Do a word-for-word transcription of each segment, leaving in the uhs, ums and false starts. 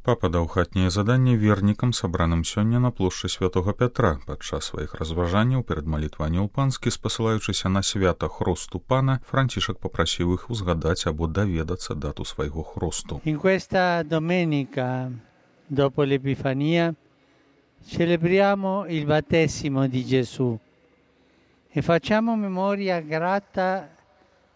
Папа даў хатняе заданне вернікам, сабраным сёння на плошчы святого Пятра. Падчас сваіх разважанняў перад малітваннем панскі, спасылаючыся на свята хросту пана, Францішак попрасіў іх узгадаць або даведацца дату свайго хросту. In questa domenica, dopo l'Epifania, celebriamo il battesimo di Gesù e facciamo memoria grata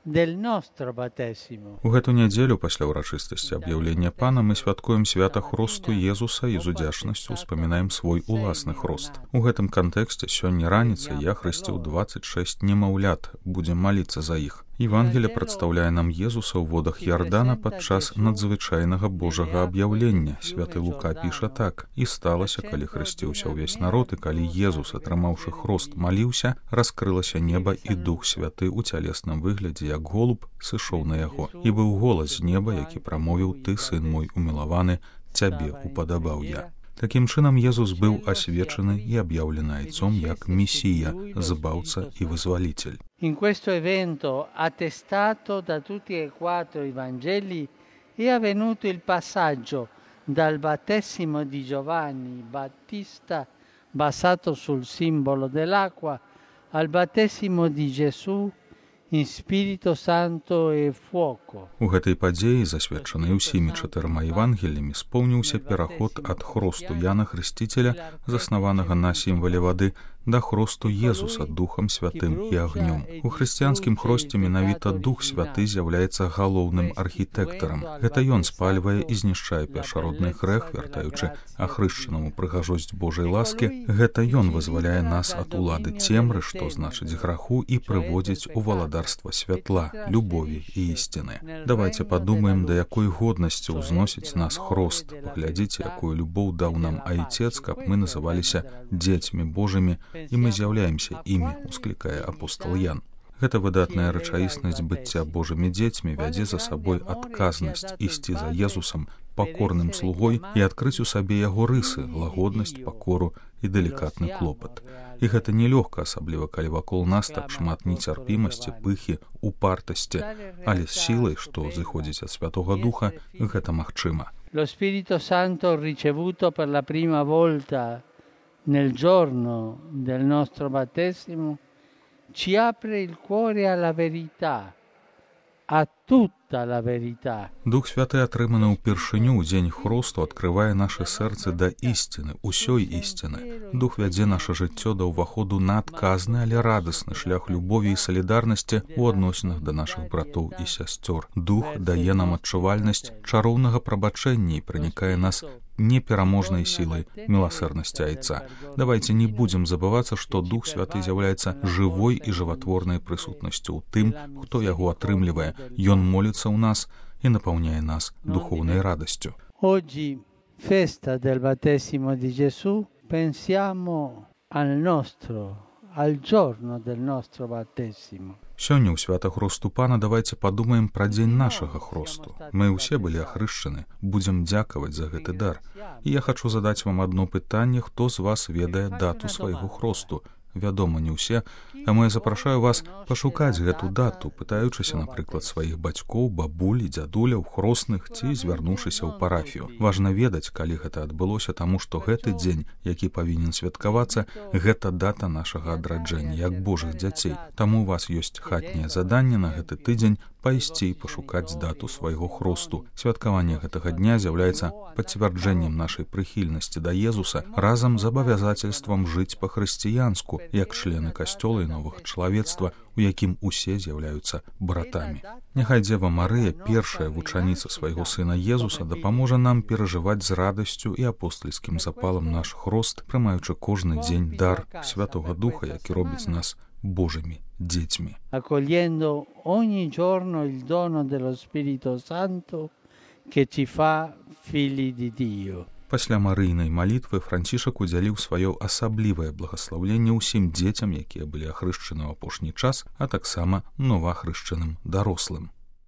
del nostro battesimo. У гэту нядзелю пасля ўрачыстасці аб'яўлення пана мы святкуем свята хросту Езуса і з удзячнасцю успамінаем свой уласны хрост. У гэтым кантэксце сёння раніцай я хрысціў дваццаць шэсць немаўлят, будзем маліцца за іх. Евангелие прадстаўляе нам Езуса ў водах Ярдана падчас надзвычайнага Божага аб'яўлення. Святы Лука піша так: «І сталася, калі хрысціўся ўвесь народ, і калі Езус, атрымаўшы хрост, маліўся, раскрылася неба, і Дух Святы ў цялесным выглядзе, як голуб, сышоў на яго. І быў голас з неба, які прамовіў: Ты, сын мой умілаваны, цябе упадабаў я». Такім чынам, Езус быў асвечаны і аб'яўлены айцом як Месія, збаўца і вызвалитель. In questo evento, attestato da tutti e quattro i Vangeli, è avvenuto il passaggio dal battesimo di Giovanni Battista, basato sul simbolo dell'acqua, al battesimo di Gesù in Spirito Santo e fuoco. У гэтай падзеі, засведчанай усімі чатырма евангеліямі, споўніўся пераход ад хросту Яна Хрысціцеля, заснаванага на сімвале вады, да хросту Езуса Духам Святым і агнём. У хрысціянскім хросце менавіта Дух Святы з'яўляецца галоўным архітэктарам. Гэта ён спальвае і знішчае першародны грэх, вяртаючы ахрышчанаму прыгажосць Божай ласкі. Гэта ён вызваляе нас ад улады цемры, што значыць граху, і прыводзіць у валадарства святла, любові і ісціны. Давайте падумаем, да якой годнасці ўзносіць нас хрост. Паглядзіце, якую любоў даў нам Айцец, каб мы называліся дзецьмі Божымі, і мы з'яўляемся імі, усклікае апостол Ян. Гэта выдатная рэчаіснасць быцця Божымі дзецьмі вядзе за сабой адказнасць ісці за Езусам пакорным слугой і адкрыць у сабе яго рысы, лагоднасць, пакору і далікатны клопат. І гэта нелёгка, асабліва калі вакол нас так шмат нецярпімасці, пыхі, упартасці, але з сілай, што зыходзіць ад Святога Духа, гэта магчыма. Lo Spirito Santo ricevuto per la prima volta nel giorno del nostro battesimo ci apre il cuore alla verità, a tutta la verità. Дух Святы, атрыманы ўпершыню ў дзень хросту, адкрывае наše сэрцы да ісціны, усёй ісціны. Дух вядзе наша жыццё да ўваходу на адказны, але радасны шлях любові і салідарнасці ў адносінах да нашых братоў і сясцёр. Дух дае нам адчувальнасць чароўнага прабачэння і пранікае нас непераможнай сілай міласэрнасці Айца. Давайте не будзем забывацца, што Дух Святы з'яўляецца жывой і жыватворнай прысутнасцю ў тым, хто яго атрымлівае. Ён моліцца ў нас і напаўняе нас духоўнай радасцю. Oggi, festa del battesimo di Gesù, pensiamo al nostro, al giorno del nostro battesimo. Сёння ў свята хросту пана давайте падумаем пра дзень нашага хросту. Мы ўсе былі ахрышчаны, будзем дзякаваць за гэты дар. І я хачу задаць вам адно пытанне: хто з вас ведае дату свайго хросту? Вядома, не ўсе, таму я запрашаю вас пашукаць гэту дату, пытаючыся, напрыклад, сваіх бацькоў, бабуль і дзядуляў, хросных, ці звярнуўшыся ў парафію. Важна ведаць, калі гэта адбылося, таму што гэты дзень, які павінен святкавацца, гэта дата нашага адраджэння як Божых дзяцей. Таму у вас ёсць хатняе заданне на гэты тыдзень пайсці і пашукаць дату свайго хросту. Святкаванне гэтага дня з'яўляецца пацвярджэннем нашай прыхільнасці да Езуса разам з абавязацельствам жыць па-хрысціянску, як члены касцёла і новага чалавецтва, у якім усе з'яўляюцца братамі. Няхай Дзева Марыя, першая вучаніца свайго сына Езуса, дапаможа нам перажываць з радасцю і апостальскім запалам наш хрост, прымаючы кожны дзень дар Святога Духа, які робіць нас Божымі дзецьмі. Accogliendo ogni giorno il dono dello Spirito Santo che ci fa figli di Dio. Пасля марыйнай малітвы Францішак удзяліў сваё асаблівае благаслаўленне ўсім дзецям, якія былі ахрышчаны ў апошні час, а таксама новаахрышчаным дарослым.